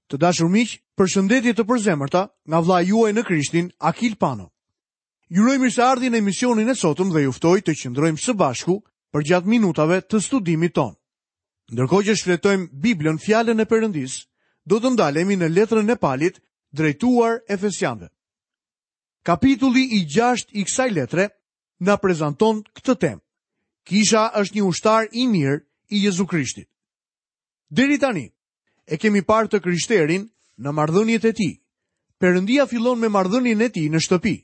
Të dashur miq, përshëndetje të përzemërta nga vëllai juaj në Krishtin, Akil Pano. Ju uroj mirëseardhjen në emisionin e sotëm dhe ju ftoj të qëndrojmë së bashku përgjatë minutave të studimit tonë. Ndërkohë që shfletojmë Biblën, fjalën e Perëndisë, do të ndalemi në letrën e Palit drejtuar Efesianëve. Kapitulli i 6 i kësaj letre na prezanton këtë temë. Kisha është një ushtar i mirë i Jezu Krishtit. Deri tani, E kemi parë të krishterin në marrëdhëniet e tij. Perëndia fillon me marrëdhënien e tij në shtëpi.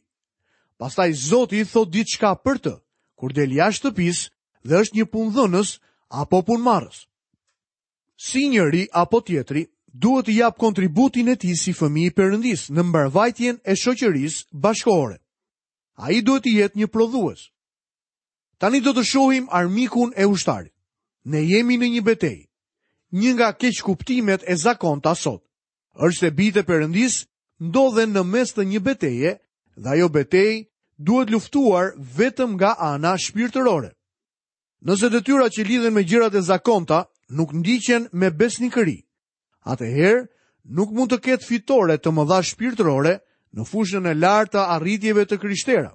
Pastaj Zoti thotë diçka për të, kur del jashtë shtëpisë dhe është një punëdhënës apo punëmarrës. Si njëri apo tjetri duhet të japë kontributin e tij si fëmijë i Perëndisë në mbarëvajtjen e shoqërisë bashkëkohore. Ai duhet të jetë një prodhues. Tani do të shohim armikun e ushtarit. Ne jemi në një betejë. Një nga keqkuptimet e zakonta sot është se bijtë e Perëndisë ndodhen në mes të një beteje dhe ajo betejë duhet luftuar vetëm nga ana shpirtërore. Nëse detyrat që lidhen me gjërat e zakonta nuk ndiqen me besnikëri, atëherë nuk mund të ketë fitore të mëdha shpirtërore në fushën e lartë të arritjeve të krishtera.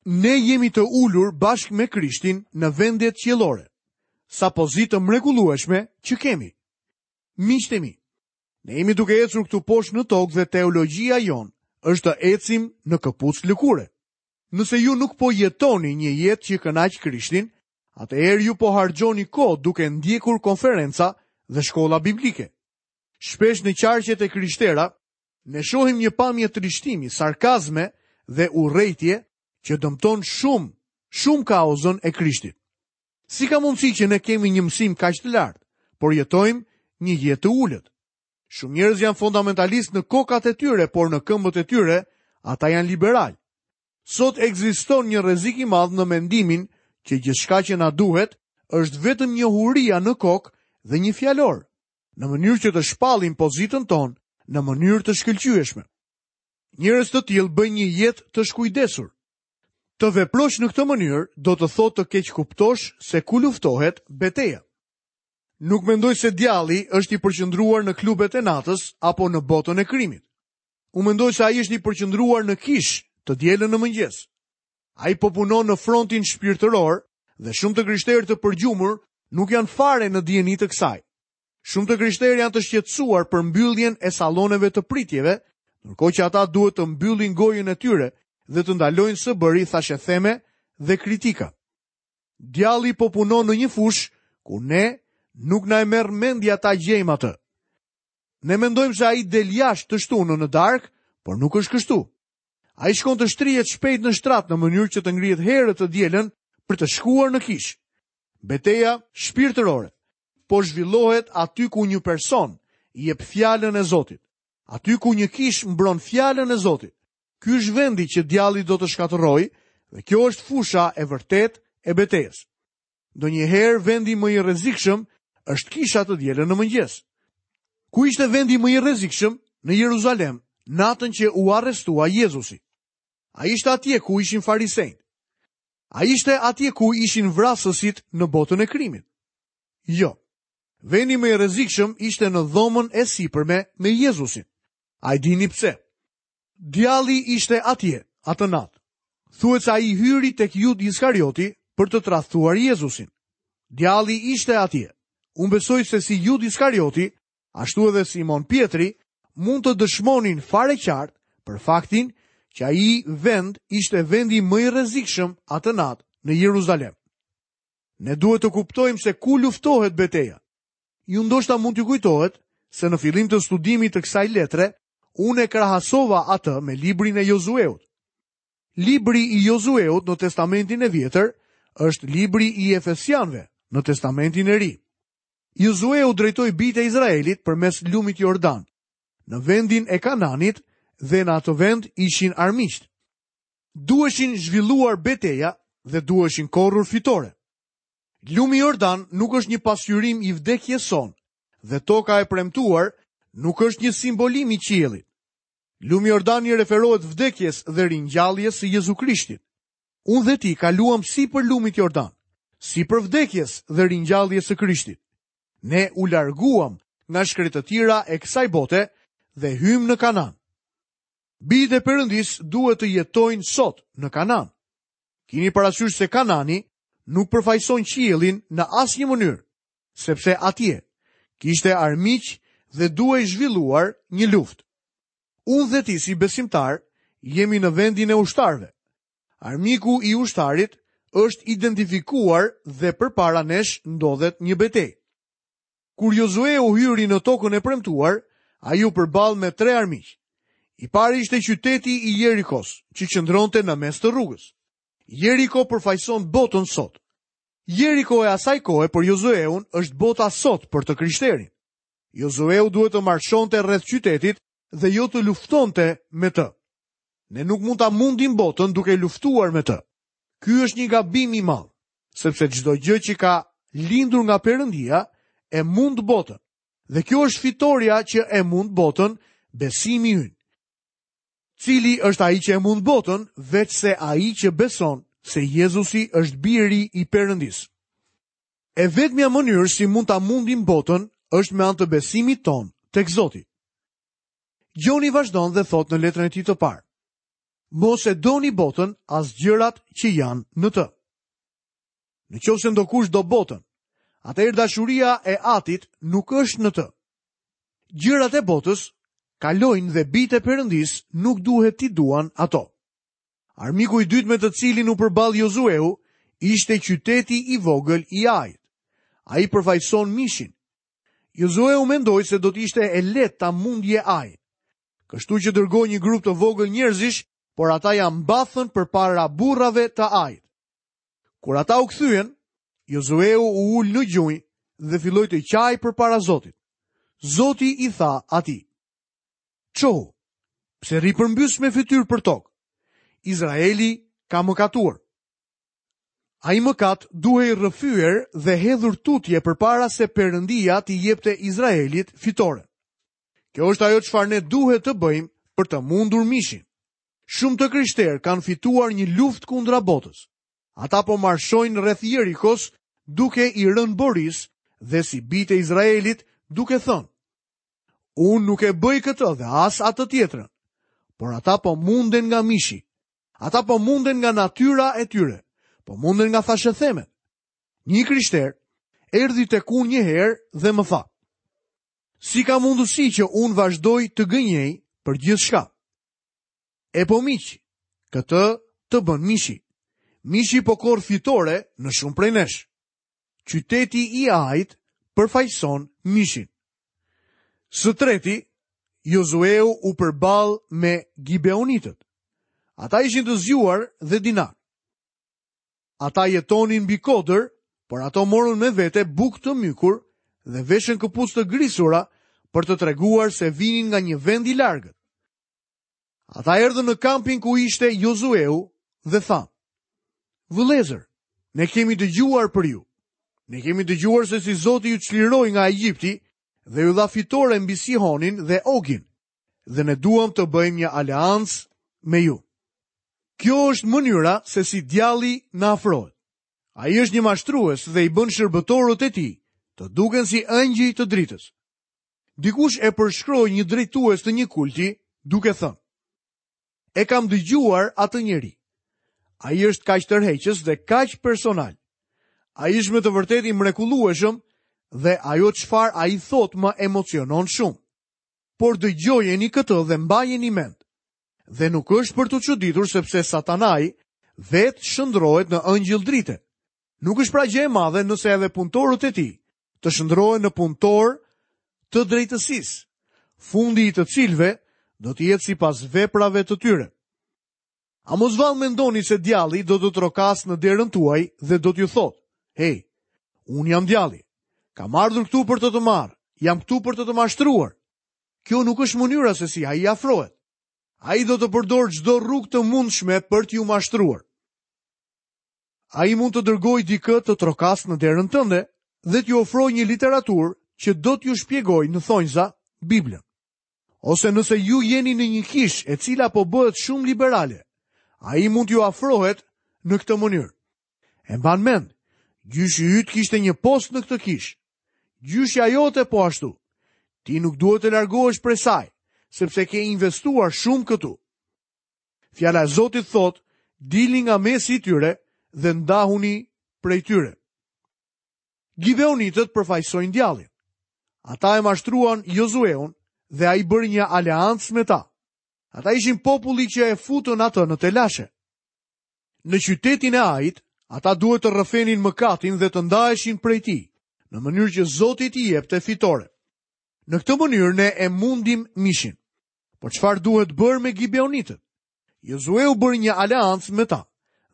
Ne jemi të ulur bashkë me Krishtin në vendet qiellore. Sa pozitë të mrekullueshme që kemi. Miqtë e mi, ne jemi duke ecur këtu poshtë në tokë dhe teologjia jonë është të ecim në këpucë lëkure. Nëse ju nuk po jetoni një jetë që kënaq Krishtin, atëherë ju po harxhoni kohë duke ndjekur konferenca dhe shkolla biblike. Shpesh në qarqet e krishtera, Ne shohim një pamje trishtimi, sarkazme dhe urrejtje që dëmton shumë, shumë kauzën e Krishtit. Si ka mundësi që ne kemi një mësim kaq të lartë, por jetojmë një jetë të ulët? Shumë njerëz janë fundamentalistë në kokat e tyre, por në këmbët e tyre ata janë liberalë. Sot ekziston një rrezik i madh në mendimin që gjithçka që na duhet është vetëm njohuria në kokë dhe një fjalor. në mënyrë që të shpallim pozitën tonë në mënyrë të shkëlqyeshme. Njerëz të tillë bëjnë një jetë të shkujdesur. Të veprosh në këtë mënyrë do të thotë të keqkuptosh se ku luftohet beteja. Nuk mendoj se djalli është i përqendruar në klubet e natës apo në botën e krimit. Unë mendoj se ai është i përqendruar në kishë të dielën në mëngjes. Ai po punon në frontin shpirtëror dhe shumë të krishterë të përgjumur nuk janë fare në dijeni të kësaj. Shumë të krishterë janë të shqetësuar për mbylljen e salloneve të pritjeve, ndërkohë që ata duhet të mbyllin gojën e tyre dhe të ndalojnë së bëri thashetheme dhe kritika. Djalli po punon në një fushë ku ne nuk na e merr mendja ta gjejmë atë. Ne mendojmë se ai del jashtë të shtunën në darkë, por nuk është kështu. Ai shkon të shtrihet shpejt në shtrat në mënyrë që të ngrihet herët të dielën për të shkuar në kishë. Beteja shpirtërore po zhvillohet aty ku një person jep fjalën e Zotit. Aty ku një kishë mbron fjalën e Zotit. Ky është vendi që djalli do të shkatërrojë dhe kjo është fusha e vërtetë e betejës. Ndonjëherë vendi më i rrezikshëm është kisha të dielën në mëngjes. Ku ishte vendi më i rrezikshëm? Në Jeruzalem, natën që u arrestua Jezusi. A ishte atje ku ishin farisenjtë? A ishte atje ku ishin vrasësit në botën e krimit? Jo. Vendi më i rrezikshëm ishte në dhomën e sipërme me Jezusin. A e dini pse? Djalli ishte atje, atë natë. Thuhet se ai hyri tek Judë Iskarioti për të tradhtuar Jezusin. Djalli ishte atje. Unë besoj se si Judë Iskarioti, ashtu edhe Simon Pjetri, mund të dëshmonin fare qartë për faktin që ai vend ishte vendi më i rrezikshëm atë natë në Jeruzalem. Ne duhet të kuptojmë se ku luftohet beteja. Ju ndoshta mund t'ju kujtohet se në fillim të studimit të kësaj letre, unë e krahasova atë me librin e Jozueut. Libri i Jozueut në Testamentin e Vjetër është libri i Efesianëve në Testamentin e Ri. Jozueu drejtoi bijtë e Izraelit përmes lumit Jordan, në vendin e Kananit dhe në atë vend ishin armiqtë. Duheshin zhvilluar beteja dhe duheshin korrur fitore. Lumi Jordan nuk është një pasqyrim i vdekjes sonë dhe toka e premtuar nuk është një simbolim i qiellit. Lumi Jordan i referohet vdekjes dhe ringjalljes së Jezu Krishtit. Unë dhe ti kaluam sipër lumit Jordan, sipër vdekjes dhe ringjalljes së Krishtit. Ne u larguam nga shkretëtira e kësaj bote dhe hyjmë në Kanaan. Bijtë e Perëndisë duhet të jetojnë sot në Kanaan. Kini parasysh se Kanani nuk përfaqëson qiellin në asnjë mënyrë, sepse atje kishte armiq dhe duhej zhvilluar një luftë. Unë dhe ti si besimtarë jemi në vendin e ushtarëve. Armiku i ushtarit është identifikuar dhe përpara nesh ndodhet një betejë. Kur Jozueu hyri në tokën e premtuar, ai u përball me tre armiq. I pari ishte qyteti i Jerikos, që qëndronte në mes të rrugës. Jeriko përfaqëson botën sot. Jeriko e asaj kohe për Jozueun është bota sot për të krishterin. Jozueu duhet të marshonte rreth qytetit dhe jo të luftonte me të. Ne nuk mund ta mundim botën duke luftuar me të. Ky është një gabim i madh, sepse çdo gjë që ka lindur nga Perëndia e mund botën. Dhe kjo është fitorja që e mund botën, besimi ynë. Cili është ai që e mund botën, veçse ai që beson se Jezusi është biri i Perëndisë. E vetmja mënyrë si mund ta mundim botën është me anë të besimit tonë tek Zoti. Gjoni vazhdon dhe thotë në letrën e tij të parë. Mos e doni botën as gjërat që janë në të. Në qoftë se ndokush do botën, atëherë dashuria e atit nuk është në të. Gjërat e botës kalojnë dhe bijtë e Perëndisë nuk duhet t'i duan ato. Armiku i dytë me të cilin u përball Jozueu ishte qyteti i vogël i Ait. Ai përfaqëson mishin. Jozueu mendoi se do të ishte e lehtë ta mundje Ain. Kështu që dërgoi një grup të vogël njerëzish, por ata ia mbathën përpara burrave të Ait. Kur ata u kthyen, Jozueu u ul në gjunjë dhe filloi të qajë përpara Zotit. Zoti i tha atij: Çohu, pse rri përmbys me fytyrë për tokë? Izraeli ka mëkatuar. Ai mëkat duhej rrëfyer dhe hedhur tutje përpara se Perëndia t'i jepte Izraelit fitoren. Kjo është ajo çfarë ne duhet të bëjmë për të mundur mishin. Shumë të krishterë kanë fituar një luftë kundra botës. Ata po marshojnë rreth Jerikos duke i rënë borisë dhe si bijtë e Izraelit duke thënë: Unë nuk e bëj këtë dhe as atë tjetrën, por ata po munden nga mishi. Ata po munden nga natyra e tyre, po munden nga thashethemet. Një i krishterë erdhi tek unë një herë dhe më tha: Si ka mundësi që unë vazhdoj të gënjej për gjithçka? E po miq, këtë të bën mishi. Mishi po korr fitore në shumë prej nesh. Qyteti i Ait përfaqëson mishin. Së treti, Jozueu u përball me Gibeonitët. Ata ishin të zgjuar dhe dinakë. Ata jetonin mbi kodër, por ato morën me vete bukë të mykur dhe veshën këpucë të grisura për të treguar se vinin nga një vend i largët. Ata erdhën në kampin ku ishte Jozueu dhe thanë: Vëllezër, ne kemi dëgjuar për ju. Ne kemi dëgjuar se si Zoti ju çliroi nga Egjipti dhe ju dha fitore mbi Sihonin dhe Ogin, dhe ne duam të bëjmë një aleancë me ju. Kjo është mënyra se si djalli na afrohet. Ai është një mashtrues dhe i bën shërbëtorët e tij të duken si engjëj të dritës. Dikush e përshkroi një drejtues të një kulti duke thënë: E kam dëgjuar atë njeri. Ai është kaq tërheqës dhe kaq personal. Ai është me të vërtetë i mrekullueshëm dhe ajo çfarë ai thotë më emocionon shumë. Por dëgjojeni këtë dhe mbajeni mend. Dhe nuk është për t'u çuditur sepse Satanai vetë shndërrohet në engjëll drite. Nuk është pra gjë e madhe nëse edhe punëtorët e tij të shndërrohen në punëtorë të drejtësisë, fundi i të cilëve do të jetë sipas veprave të tyre. A mos vallë mendoni se djalli do të trokasë në derën tuaj dhe do t'ju thotë, hej, unë jam djalli, kam ardhur këtu për të të marrë, jam këtu për të të mashtruar. Kjo nuk është mënyra se si ai afrohet. Ai do të përdorë çdo rrugë të mundshme për t'ju mashtruar. Ai mund të dërgojë dikë të trokasë në derën tënde dhe t'ju ofrojë një literaturë që do t'ju shpjegojë në thonjza Biblën. Ose nëse ju jeni në një kishë e cila po bëhet shumë liberale, ai mund t'ju afrohet në këtë mënyrë. E mban mend, gjyshi yt kishte një post në këtë kishë. Gjyshja jote po ashtu. Ti nuk duhet të largohesh prej saj, sepse ke investuar shumë këtu. Fjala e Zotit thotë, dilni nga mesi i tyre dhe ndahuni prej tyre. Gibeonitët përfaqësojnë djallin. Ata e mashtruan Jozueun dhe ai bëri një aleancë me ta. Ata ishin populli që e futën atë në telashe. Në qytetin e Ait, ata duhet të rrëfenin mëkatin dhe të ndaheshin prej tij, në mënyrë që Zoti t'i jepte fitore. Në këtë mënyrë ne e mundim mishin. Por çfarë duhet bërë me Gibeonitët? Jozueu bëri një aleancë me ta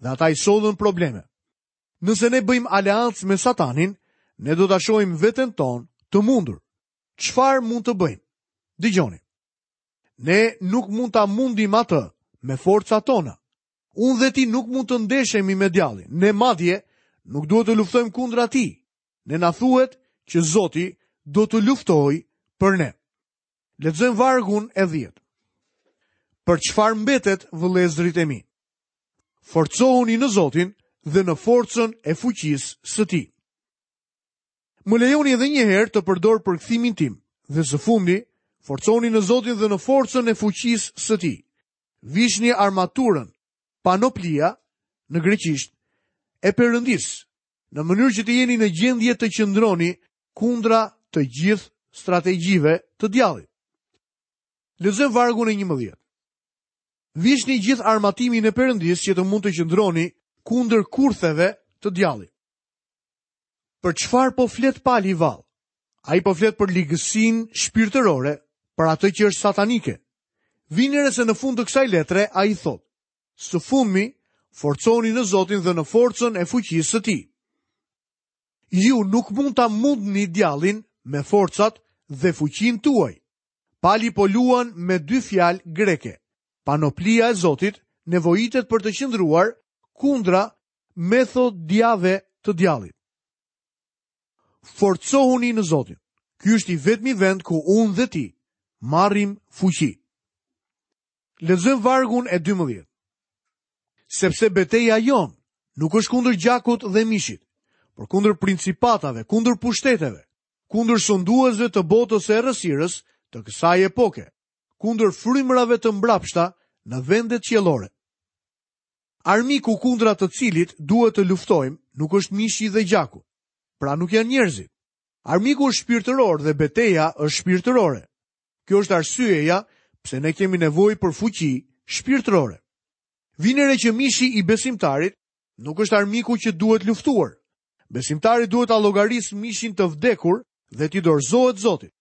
dhe ata i sollën probleme. Nëse ne bëjmë aleancë me Satanin, ne do ta shohim veten tonë të mundur. Çfarë mund të bëjmë? Dëgjoni. Ne nuk mund ta mundim atë me forcat tona. Unë dhe ti nuk mund të ndeshemi me djallin. Ne madje nuk duhet të luftojmë kundra tij. Ne na thuhet që Zoti do të luftojë për ne. Lexojmë vargun e 10. Për çfarë mbetet vëllezërit e mi? Forcohuni në Zotin dhe në forcën e fuqisë së tij. Më lejoni edhe një herë të përdor përkthimin tim dhe së fundi, forcohuni në Zotin dhe në forcën e fuqisë së tij. Vishni armaturën, panoplia në greqisht, e Perëndisë, në mënyrë që të jeni në gjendje të qëndroni kundra të gjithë strategjive të djallit. Lexojmë vargun e 11. Vishni gjithë armatimin e Perëndisë që të mund të qëndroni kundër kurtheve të djallit. Për çfarë po flet Pali vallë? Ai po flet për ligësinë shpirtërore, për atë që është satanike. Vini re se në fund të kësaj letre ai thotë: Së fundmi, forcohuni në Zotin dhe në forcën e fuqisë së tij. Ju nuk mund ta mundni djallin me forcat dhe fuqinë tuaj. Pali po luan me dy fjalë greke. Panoplia e Zotit nevojitet për të qëndruar kundra metodiave të djallit. Forcohuni në Zotin. Ky është i vetmi vend ku unë dhe ti marrim fuqi. Lexojmë vargun e 12. Sepse beteja jonë nuk është kundër gjakut dhe mishit, por kundër principatave, kundër pushteteve, kundër sunduesve të botës së errësirës të kësaj epoke, kundër frymërave të mbrapshta në vendet qiellore. Armiku kundra të cilit duhet të luftojmë nuk është mishi dhe gjaku. Pra nuk janë njerëzit. Armiku është shpirtëror dhe beteja është shpirtërore. Kjo është arsyeja pse ne kemi nevojë për fuqi shpirtërore. Vini re që mishi i besimtarit nuk është armiku që duhet luftuar. Besimtari duhet ta llogarisë mishin të vdekur dhe t'i dorëzohet Zotit.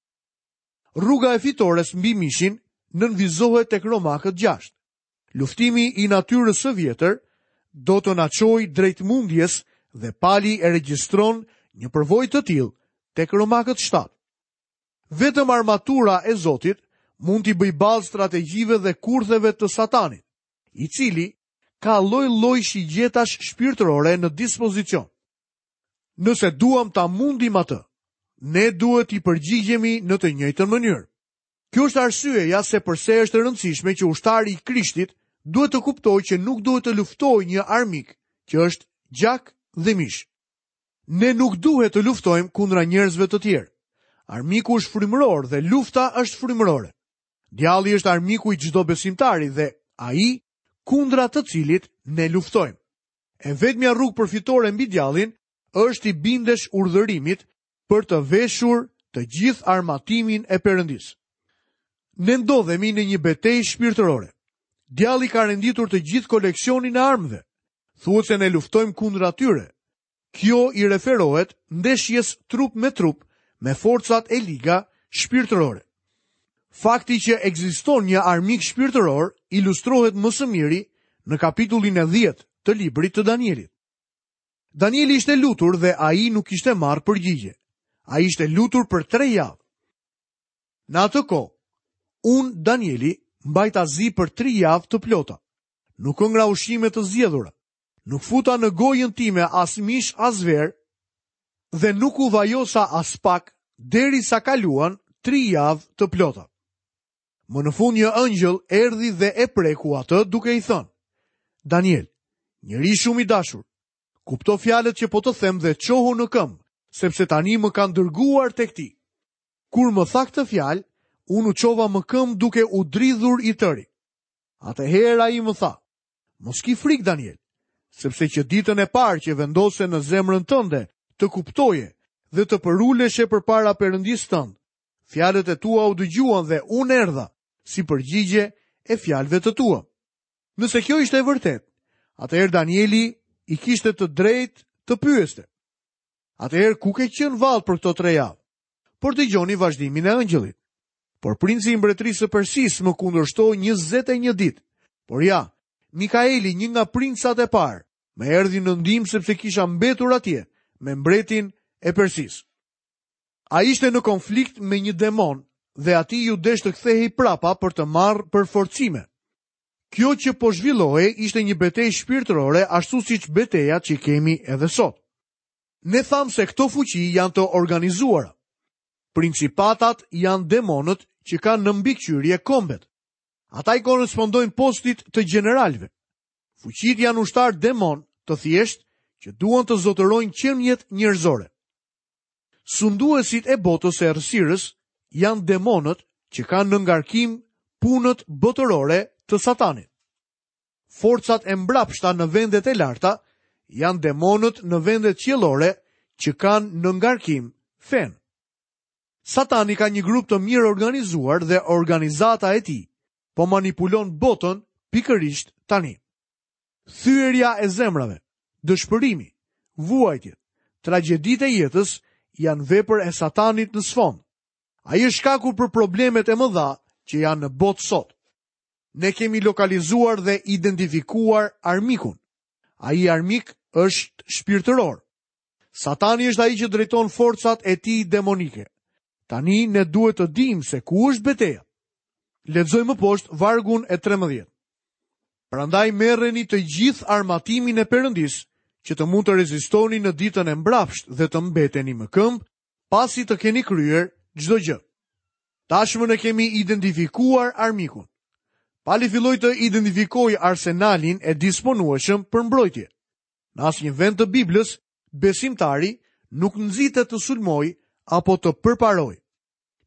Rruga e fitores mbi mishin nënvizohet tek Romakët 6. Luftimi i natyrës së vjetër do të na çojë drejt mundjes dhe Pali e regjistron një përvojë të tillë tek Romakët 7. Vetëm armatura e Zotit mund t'i bëjë ballë strategjive dhe kurtheve të Satanit, i cili ka lloj-lloj shigjetash shpirtërore në dispozicion. Nëse duam ta mundim atë, ne duhet t'i përgjigjemi në të njëjtën mënyrë. Kjo është arsyeja se përse është e rëndësishme që ushtari i Krishtit duhet të kuptojë që nuk duhet të luftojë një armik që është gjak dhe mish. Ne nuk duhet të luftojmë kundra njerëzve të tjerë. Armiku është frymëror dhe lufta është frymërore. Djalli është armiku i çdo besimtari dhe ai kundra të cilit ne luftojmë. E vetmja rrugë për fitore mbi djallin është t'i bindesh urdhërimit për të veshur të gjithë armatimin e Perëndisë. Ne ndodhemi në një betejë shpirtërore. Djalli ka renditur të gjithë koleksionin e armëve. Thuhet se ne luftojmë kundra tyre. Kjo i referohet ndeshjes trup me trup me forcat e liga shpirtërore. Fakti që ekziston një armik shpirtëror ilustrohet më së miri në kapitullin e 10 të librit të Danielit. Danieli ishte lutur dhe ai nuk kishte marrë përgjigje. Ai ishte lutur për tre javë. Në atë kohë, unë, Danieli, mbajta zi për tri javë të plota. Nuk hëngra ushqime të zgjedhura. Nuk futa në gojën time as mish as verë dhe nuk u vajosa aspak derisa kaluan tri javë të plota. Më në fund një ëngjëll erdhi dhe e preku atë duke i thënë: Daniel, njeri shumë i dashur, kupto fjalët që po të them dhe çohu në këmbë, sepse tani më kanë dërguar tek ti. Kur më tha këtë fjalë, unë u çova më këmbë duke u dridhur i tëri. Atëherë ai më tha, mos ki frikë Daniel, sepse që ditën e parë që vendose në zemrën tënde të kuptoje dhe të përuleshe përpara Perëndisë tënd, fjalët e tua u dëgjuan dhe unë erdha si përgjigje e fjalëve të tua. Nëse kjo ishte e vërtetë, atëherë Danieli i kishte të drejtë të pyeste. Atëherë ku ke qenë vallë për këto tre javë? Por dëgjoni vazhdimin e engjëllit. Por princi i mbretërisë së Persisë më kundërshtoi 21 ditë. Por ja, Mikaeli, një nga princat e parë, më erdhi në ndihmë sepse kisha mbetur atje me mbretin e Persisë. Ai ishte në konflikt me një demon dhe atij iu desh të kthehej prapa për të marrë përforcime. Kjo që po zhvillohej ishte një betejë shpirtërore ashtu siç betejat që kemi edhe sot. Ne thamë se këto fuqi janë të organizuara. Principatat janë demonët që kanë në mbikëqyrje kombet. Ata i korrespondojnë postit të gjeneralëve. Fuqitë janë ushtarë demonë të thjeshtë që duan të zotërojnë qeniet njerëzore. Sunduesit e botës së errësirës janë demonët që kanë në ngarkim punët botërore të Satanit. Forcat e mbrapshta në vendet e larta janë demonët në vendet qiellore që kanë në ngarkim fenë. Satani ka një grup të mirëorganizuar dhe organizata e tij po manipulon botën pikërisht tani. Thyerja e zemrave, dëshpërimi, vuajtjet, tragjeditë e jetës janë vepër e Satanit në sfond. Ai është shkaku për problemet e mëdha që janë në botë sot. Ne kemi lokalizuar dhe identifikuar armikun. Ai armik është shpirtëror. Satani është ai që drejton forcat e tij demonike. Tani ne duhet të dimë se ku është beteja. Lexojmë më poshtë vargun e 13. Prandaj merreni të gjithë armatimin e Perëndisë, që të mund të rezistoni në ditën e mbrapshtë dhe të mbeteni më këmbë, pasi të keni kryer çdo gjë. Tashmë ne kemi identifikuar armikun. Pali filloi të identifikojë arsenalin e disponueshëm për mbrojtje. Në asnjë vend të Biblës, besimtari nuk nxitet të sulmojë apo të përparojë.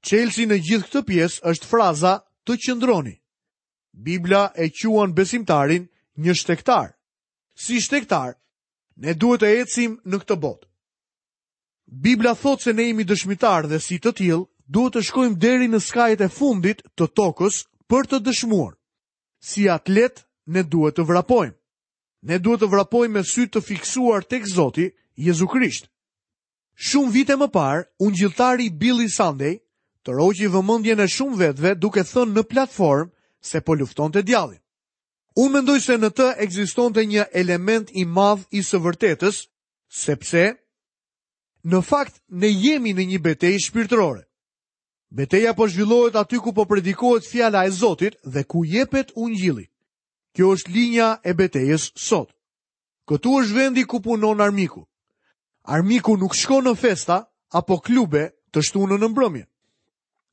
Çelësi në gjithë këtë pjesë është fraza të qëndroni. Bibla e quan besimtarin një shtegtar. Si shtegtar, ne duhet të ecim në këtë botë. Bibla thotë se ne jemi dëshmitarë dhe si të tillë duhet të shkojmë deri në skajet e fundit të tokës për të dëshmuar. Si atletë ne duhet të vrapojmë. Ne duhet të vrapojmë me sy të fiksuar tek Zoti Jezu Krisht. Shumë vite më parë, ungjilltari Billy Sunday tërhoqi vëmendjen e shumë vetëve duke thënë në platformë se po luftonte djallin. Unë mendoj se në të ekzistonte një element i madh i së vërtetës, sepse në fakt ne jemi në një betejë shpirtërore. Beteja po zhvillohet aty ku po predikohet fjala e Zotit dhe ku jepet ungjilli. Kjo është linja e betejës sot. Këtu është vendi ku punon armiku. Armiku nuk shkon në festa apo klube të shtunën në mbrëmje.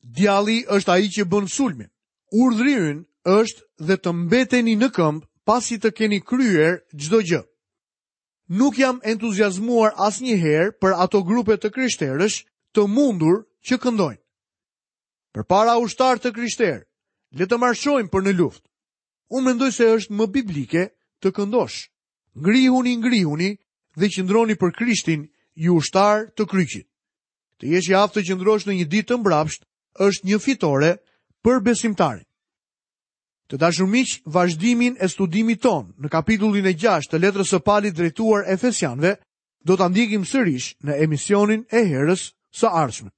Djalli është ai që bën sulmin. Urdhri ynë është dhe të mbeteni në këmbë pasi të keni kryer çdo gjë. Nuk jam entuziazmuar asnjëherë për ato grupe të krishterësh të mundur që këndojnë. Përpara ushtarë të krishterë, le të marshojmë për në luftë. Unë mendoj se është më biblike të këndosh. Ngrihuni, ngrihuni dhe qëndroni për Krishtin, ju ushtarë të kryqit. Të jesh i aftë të qëndrosh në një ditë të mbrapshtë është një fitore për besimtarin. Të dashur miq, vazhdimin e studimit tonë në kapitullin e 6 të letrës së Palit drejtuar Efesianëve do ta ndjekim sërish në emisionin e herës së ardhshme.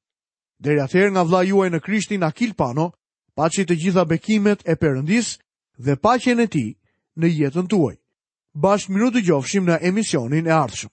Deri atëherë nga vëllai juaj në Krishtin Akil Pano, paçi të gjitha bekimet e Perëndisë dhe paqen e tij në jetën tuaj. Bashkë mirudëgjofshim në emisionin e ardhshëm.